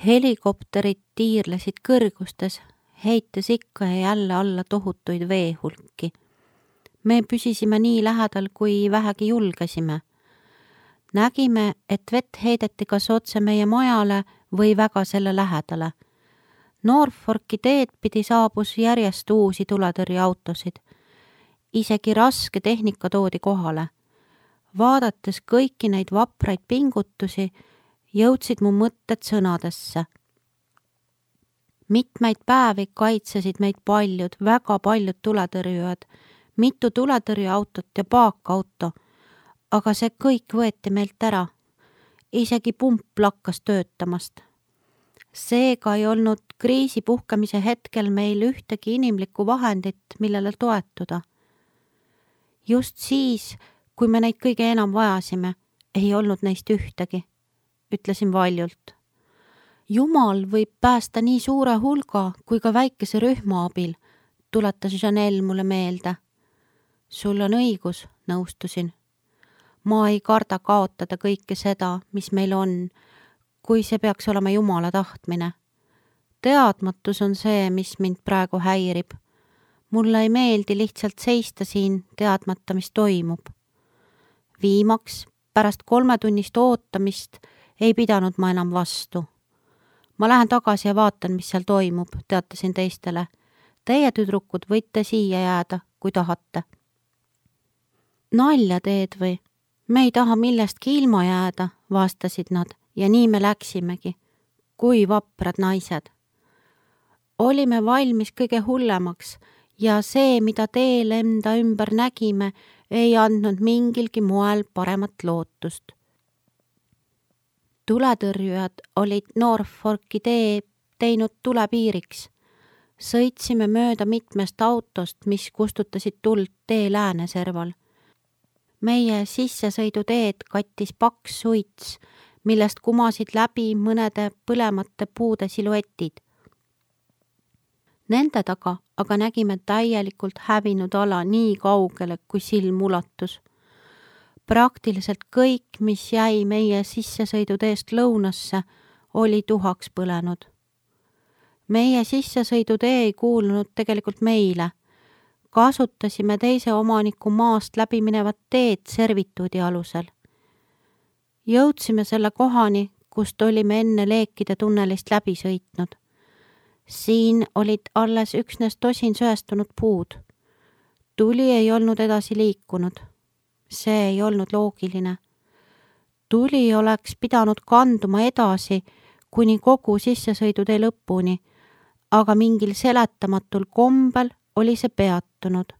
Helikopterid tiirlesid kõrgustes, heites ikka ja jälle alla tohutuid veehulki. Me püsisime nii lähedal, kui vähegi julgesime. Nägime, et vett heideti kas otse meie majale või väga selle lähedale. Norfolki teed pidi saabus järjest uusi tuletõrjeautosid. Isegi raske tehnika toodi kohale. Vaadates kõiki neid vapraid pingutusi, jõudsid mu mõtted sõnadesse. Mitmeid päevi kaitsesid meid väga paljud tuletõrjujad, mitu tuletõrjeautot ja paakauto, aga see kõik võeti meilt ära. Isegi pump lakkas töötamast. Seega ei olnud kriisi puhkemise hetkel meil ühtegi inimlikku vahendit, millele toetuda. Just siis, kui me neid kõige enam vajasime, ei olnud neist ühtegi, ütlesin valjult. Jumal võib päästa nii suure hulga kui ka väikese rühma abil, tuletas Janelle mulle meelde. Sul on õigus, nõustusin. Ma ei karda kaotada kõike seda, mis meil on, kui see peaks olema Jumala tahtmine. Teadmatus on see, mis mind praegu häirib. Mulle ei meeldi lihtsalt seista siin teadmata, mis toimub. Viimaks, pärast 3 tunnist ootamist, ei pidanud ma enam vastu. Ma lähen tagasi ja vaatan, mis seal toimub, teatasin teistele. Teie tüdrukud võite siia jääda, kui tahate. Nalja teed või? Me ei taha millestki ilma jääda, vastasid nad, ja nii me läksimegi. Kui vaprad naised. Olime valmis kõige hullemaks ja see, mida teel enda ümber nägime, ei andnud mingilgi moel paremat lootust. Tuletõrjujad olid Norfolki tee teinud tulepiiriks. Sõitsime mööda mitmest autost, mis kustutasid tuld tee lääneserval. Meie sissesõiduteed kattis paks suits, millest kumasid läbi mõnede põlemate puude siluetid. Nende taga aga nägime täielikult hävinud ala nii kaugele, kui silm ulatus. Praktiliselt kõik, mis jäi meie sissesõiduteest lõunasse, oli tuhaks põlenud. Meie sissesõidutee ei kuulunud tegelikult meile. Kasutasime teise omaniku maast läbi minevat teed servituudi alusel. Jõudsime selle kohani, kust olime enne leekide tunnelist läbi sõitnud. Siin olid alles üksnes tosin söestunud puud. Tuli ei olnud edasi liikunud. See ei olnud loogiline. Tuli oleks pidanud kanduma edasi kuni kogu sissesõidutee lõpuni, aga mingil seletamatul kombel oli see peatunud,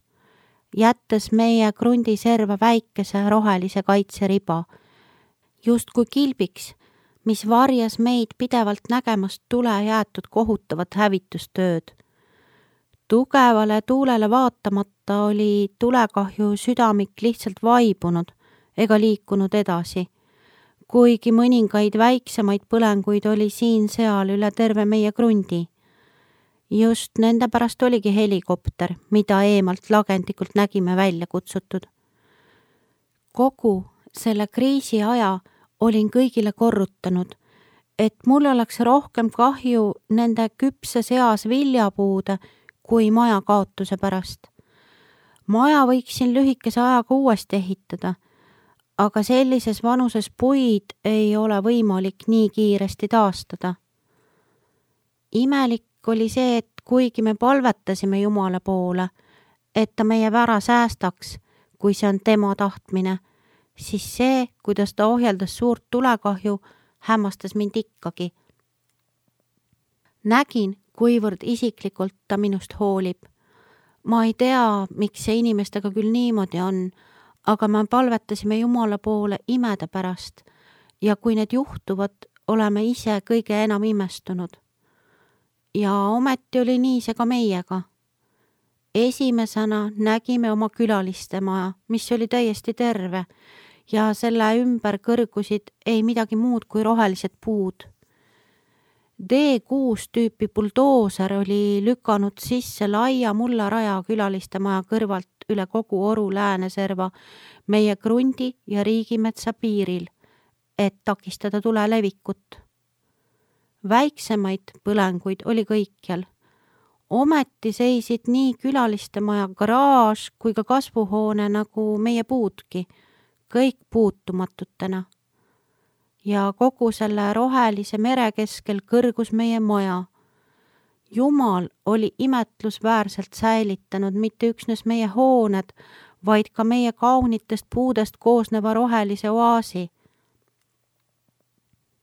jättes meie krundiserva väikese rohelise kaitseriba, justkui kilbiks, mis varjas meid pidevalt nägemast tule jäetud kohutavat hävitustööd. Tugevale tuulele vaatamata oli tulekahju südamik lihtsalt vaibunud ega liikunud edasi, kuigi mõningaid väiksemaid põlenguid oli siin-seal üle terve meie krundi. Just nende pärast oligi helikopter, mida eemalt lagendikult nägime välja kutsutud. Kogu selle kriisi aja olin kõigile korrutanud, et mul oleks rohkem kahju nende küpses eas viljapuude kui maja kaotuse pärast. Maja võiksin lühikese ajaga uuesti ehitada, aga sellises vanuses puid ei ole võimalik nii kiiresti taastada. Imelik oli see, et kuigi me palvetasime Jumala poole, et ta meie vära säästaks, kui see on tema tahtmine, siis see, kuidas ta ohjeldas suurt tulekahju, hämmastas mind ikkagi. Nägin, kuivõrd isiklikult ta minust hoolib. Ma ei tea, miks see inimestega küll niimoodi on, aga me palvetasime Jumala poole imede pärast ja kui need juhtuvad, oleme ise kõige enam imestunud. Ja ometi oli nii see ka meiega. Esimesena nägime oma külaliste maja, mis oli täiesti terve ja selle ümber kõrgusid ei midagi muud kui rohelised puud. D6 tüüpi buldooser oli lükanud sisse laia mullaraja külaliste maja kõrvalt üle kogu Oru lääneserva meie krundi ja riigimetsa piiril, et takistada tule levikut. Väiksemaid põlenguid oli kõikjal. Ometi seisid nii külalistemaja garaaž kui ka kasvuhoone nagu meie puudki, kõik puutumatutena. Ja kogu selle rohelise mere keskel kõrgus meie maja. Jumal oli imetlusväärselt säilitanud mitte üksnes meie hooned, vaid ka meie kaunitest puudest koosneva rohelise oaasi.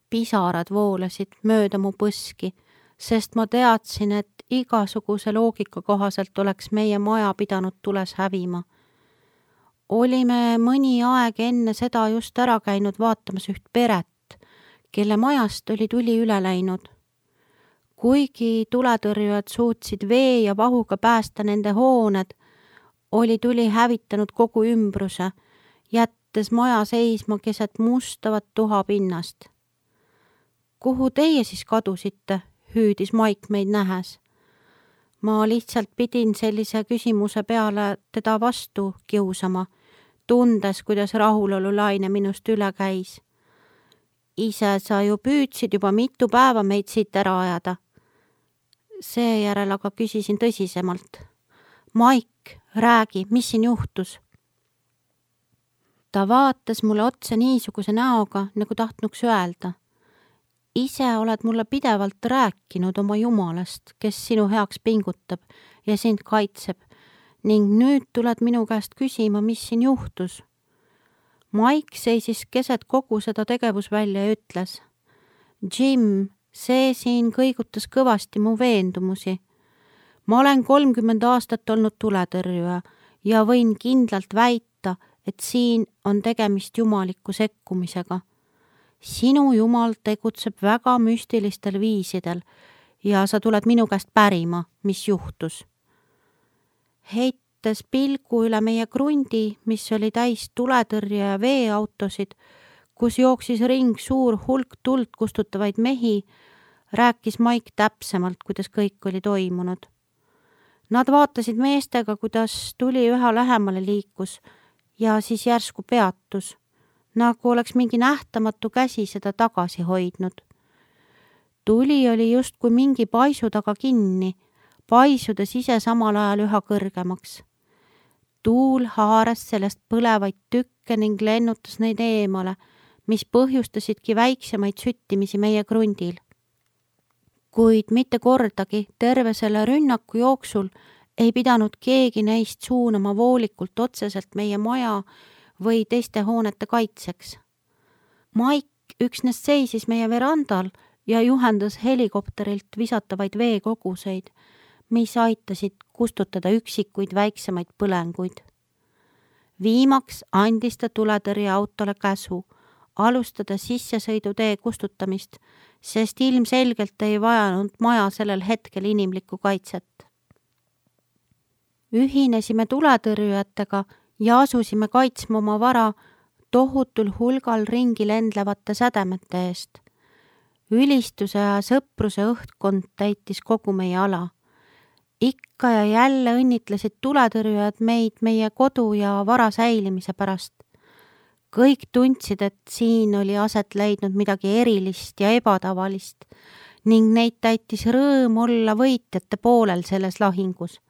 Pisarad voolasid mööda mu põski, sest ma teadsin, et igasuguse loogika kohaselt oleks meie maja pidanud tules hävima. Olime mõni aeg enne seda just ära käinud vaatamas üht peret, kelle majast oli tuli üle läinud. Kuigi tuletõrjujad suutsid vee ja vahuga päästa nende hooned, oli tuli hävitanud kogu ümbruse, jättes maja seisma keset mustavat tuha pinnast. Kuhu teie siis kadusite, hüüdis Maik meid nähes. Ma lihtsalt pidin sellise küsimuse peale teda vastu kiusama, tundes, kuidas rahulolulaine minust üle käis. Ise sa ju püüdsid juba mitu päeva meid siit ära ajada. Seejärel aga küsisin tõsisemalt. Maik, räägi, mis siin juhtus? Ta vaatas mulle otsa niisuguse näoga, nagu tahtnuks öelda. Ise oled mulle pidevalt rääkinud oma Jumalast, kes sinu heaks pingutab ja sind kaitseb, ning nüüd tuled minu käest küsima, mis siin juhtus. Maik seisis keset kogu seda tegevusvälja ja ütles. Jim, see siin kõigutas kõvasti mu veendumusi. Ma olen 30 aastat olnud tuletõrjuja ja võin kindlalt väita, et siin on tegemist jumaliku sekkumisega. Sinu Jumal tegutseb väga müstilistel viisidel ja sa tuled minu käest pärima, mis juhtus. Heites pilgu üle meie krundi, mis oli täis tuletõrje ja veeautosid, kus jooksis ring suur hulk tuld kustutavaid mehi, rääkis Maik täpsemalt, kuidas kõik oli toimunud. Nad vaatasid meestega, kuidas tuli üha lähemale liikus ja siis järsku peatus, nagu oleks mingi nähtamatu käsi seda tagasi hoidnud. Tuli oli justkui mingi paisu taga kinni, paisudes ise samal ajal üha kõrgemaks. Tuul haaras sellest põlevaid tükke ning lennutas neid eemale, mis põhjustasidki väiksemaid süttimisi meie krundil. Kuid mitte kordagi terve selle rünnaku jooksul ei pidanud keegi neist suunama voolikult otseselt meie maja või teiste hoonete kaitseks. Maik üksnes seisis meie verandal ja juhendas helikopterilt visatavaid veekoguseid, mis aitasid kustutada üksikuid väiksemaid põlenguid. Viimaks andis ta tuletõrjeautole käsu alustada sissesõidutee kustutamist, sest ilmselgelt ei vajanud maja sellel hetkel inimlikku kaitset. Ühinesime tuletõrjujatega ja asusime kaitsma oma vara tohutul hulgal ringi lendlevate sädemete eest. Ülistuse ja sõpruse õhkkond täitis kogu meie ala. Ikka ja jälle õnnitlesid tuletõrjujad meid meie kodu ja vara säilimise pärast. Kõik tundsid, et siin oli aset leidnud midagi erilist ja ebatavalist ning neid täitis rõõm olla võitjate poolel selles lahingus.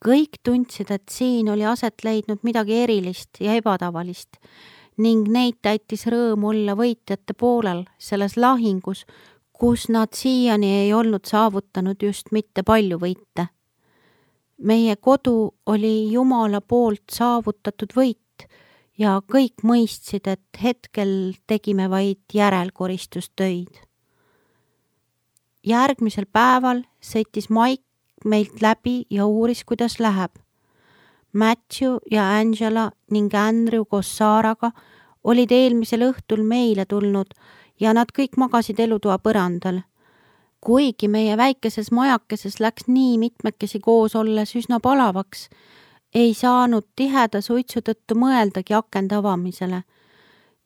Kõik tundsid, et siin oli aset leidnud midagi erilist ja ebatavalist ning neid täitis rõõm olla võitjate poolel selles lahingus, kus nad siiani ei olnud saavutanud just mitte palju võite. Meie kodu oli Jumala poolt saavutatud võit ja kõik mõistsid, et hetkel tegime vaid järelkoristustöid. Järgmisel päeval sõitis Maik meilt läbi ja uuris, kuidas läheb. Matthew ja Angela ning Andrew koos Saaraga olid eelmisel õhtul meile tulnud ja nad kõik magasid elutoa põrandal. Kuigi meie väikeses majakeses läks nii mitmekesi koos olles üsna palavaks, ei saanud tiheda suitsu tõttu mõeldagi akende avamisele.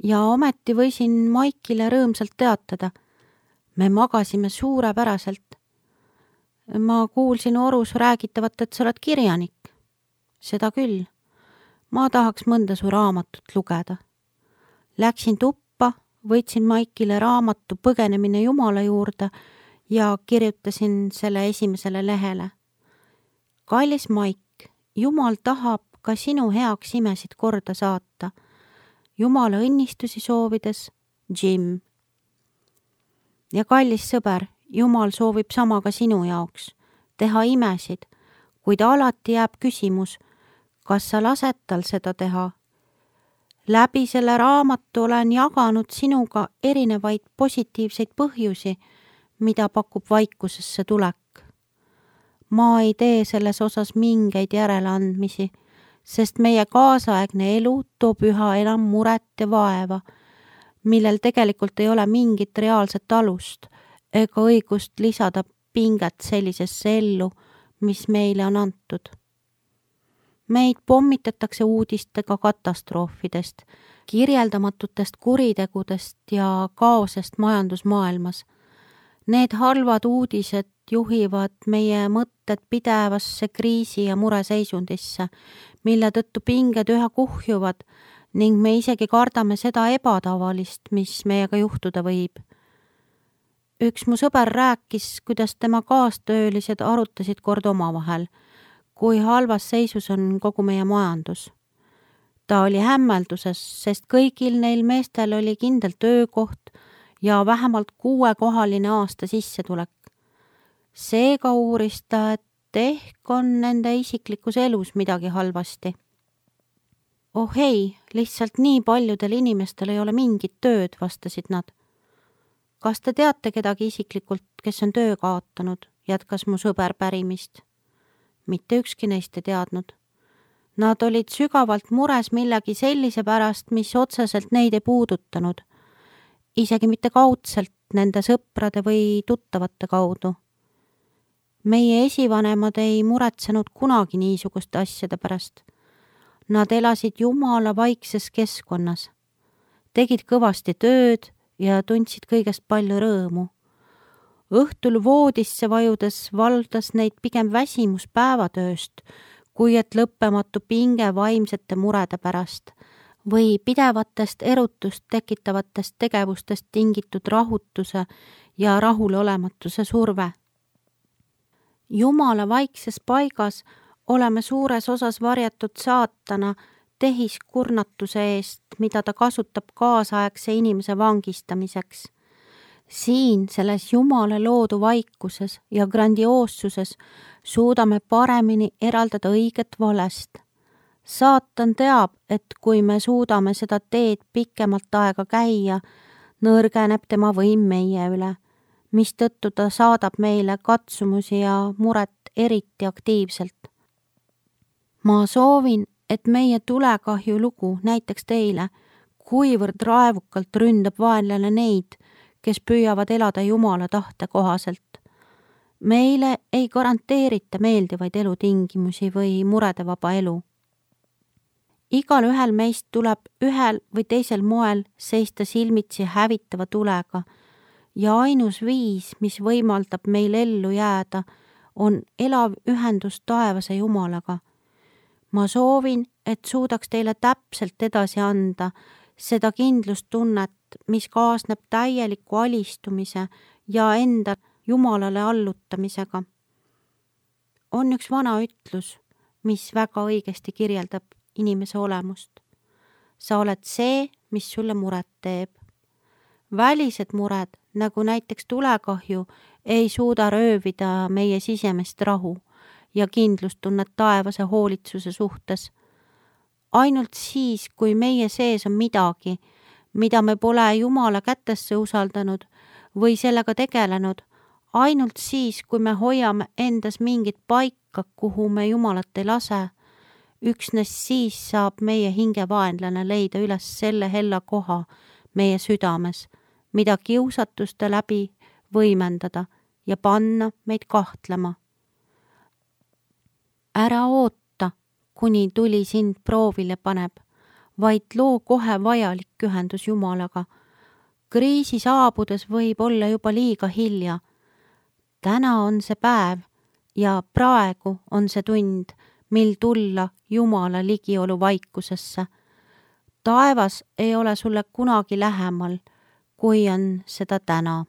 Ja ometi võisin Maikile rõõmsalt teatada. Me magasime suurepäraselt. Ma kuulsin orus räägitavat, et sa oled kirjanik. Seda küll. Ma tahaks mõnda su raamatut lugeda. Läksin tuppa, võtsin Maikile raamatu Põgenemine Jumala juurde ja kirjutasin selle esimesele lehele. Kallis Maik, Jumal tahab ka sinu heaks imesid korda saata. Jumala õnnistusi soovides, Jim. Ja kallis sõber, Jumal soovib sama ka sinu jaoks, teha imesid, kuid alati jääb küsimus, kas sa lased tal seda teha. Läbi selle raamatu olen jaganud sinuga erinevaid positiivseid põhjusi, mida pakub vaikusesse tulek. Ma ei tee selles osas mingeid järeleandmisi, sest meie kaasaegne elu toob üha enam muret ja vaeva, millel tegelikult ei ole mingit reaalset alust ega õigust lisada pinget sellisesse ellu, mis meile on antud. Meid pommitatakse uudistega katastroofidest, kirjeldamatutest kuritegudest ja kaosest majandusmaailmas. Need halvad uudised juhivad meie mõtted pidevasse kriisi ja mureseisundisse, mille tõttu pinged üha kuhjuvad ning me isegi kardame seda ebatavalist, mis meiega juhtuda võib. Üks mu sõber rääkis, kuidas tema kaastöölised arutasid kord omavahel, kui halvas seisus on kogu meie majandus. Ta oli hämmelduses, sest kõigil neil meestel oli kindel töökoht ja vähemalt 6-kohaline aasta sissetulek. Seega uuris ta, et ehk on nende isiklikus elus midagi halvasti. Oh ei, lihtsalt nii paljudel inimestel ei ole mingit tööd, vastasid nad. Kas te teate kedagi isiklikult, kes on töö kaotanud, jätkas mu sõber pärimist. Mitte ükski neist ei teadnud. Nad olid sügavalt mures millegi sellise pärast, mis otseselt neid ei puudutanud. Isegi mitte kaudselt nende sõprade või tuttavate kaudu. Meie esivanemad ei muretsenud kunagi niisuguste asjade pärast. Nad elasid Jumala vaikses keskkonnas, tegid kõvasti tööd ja tundsid kõigest palju rõõmu. Õhtul voodisse vajudes valdas neid pigem väsimus päevatööst, kui et lõppematu pinge vaimsete murede pärast või pidevatest erutust tekitavatest tegevustest tingitud rahutuse ja rahulolematuse surve. Jumala vaikses paigas oleme suures osas varjatud saatana tehiskurnatuse eest, mida ta kasutab kaasaegse inimese vangistamiseks. Siin selles Jumala loodu vaikuses ja grandioossuses suudame paremini eraldada õiget valest. Saatan teab, et kui me suudame seda teed pikemalt aega käia, nõrgeneb tema võim meie üle, mistõttu ta saadab meile katsumusi ja muret eriti aktiivselt. Ma soovin, et meie tulekahju lugu näiteks teile, kuivõrd raevukalt ründab vaenlane neid, kes püüavad elada Jumala tahte kohaselt. Meile ei garanteerita meeldivaid elutingimusi või muredevaba elu. Igal ühel meist tuleb ühel või teisel moel seista silmitsi hävitava tulega ja ainus viis, mis võimaldab meil ellu jääda, on elav ühendus taevase Jumalaga. Ma soovin, et suudaks teile täpselt edasi anda seda kindlustunnet, mis kaasneb täieliku alistumise ja enda Jumalale allutamisega. On üks vana ütlus, mis väga õigesti kirjeldab inimese olemust. Sa oled see, mis sulle muret teeb. Välised mured, nagu näiteks tulekahju, ei suuda röövida meie sisemist rahu ja kindlustunnet taevase hoolitsuse suhtes. Ainult siis, kui meie sees on midagi, mida me pole Jumala kätesse usaldanud või sellega tegelenud, ainult siis, kui me hoiame endas mingit paika, kuhu me Jumalat ei lase, üksnes siis saab meie hingevaenlane leida üles selle hella koha meie südames, mida kiusatuste läbi võimendada ja panna meid kahtlema. Ära oota, kuni tuli sind proovile paneb, vaid loo kohe vajalik ühendus Jumalaga. Kriisi saabudes võib olla juba liiga hilja. Täna on see päev ja praegu on see tund, mil tulla Jumala ligiolu vaikusesse. Taevas ei ole sulle kunagi lähemal, kui on seda täna.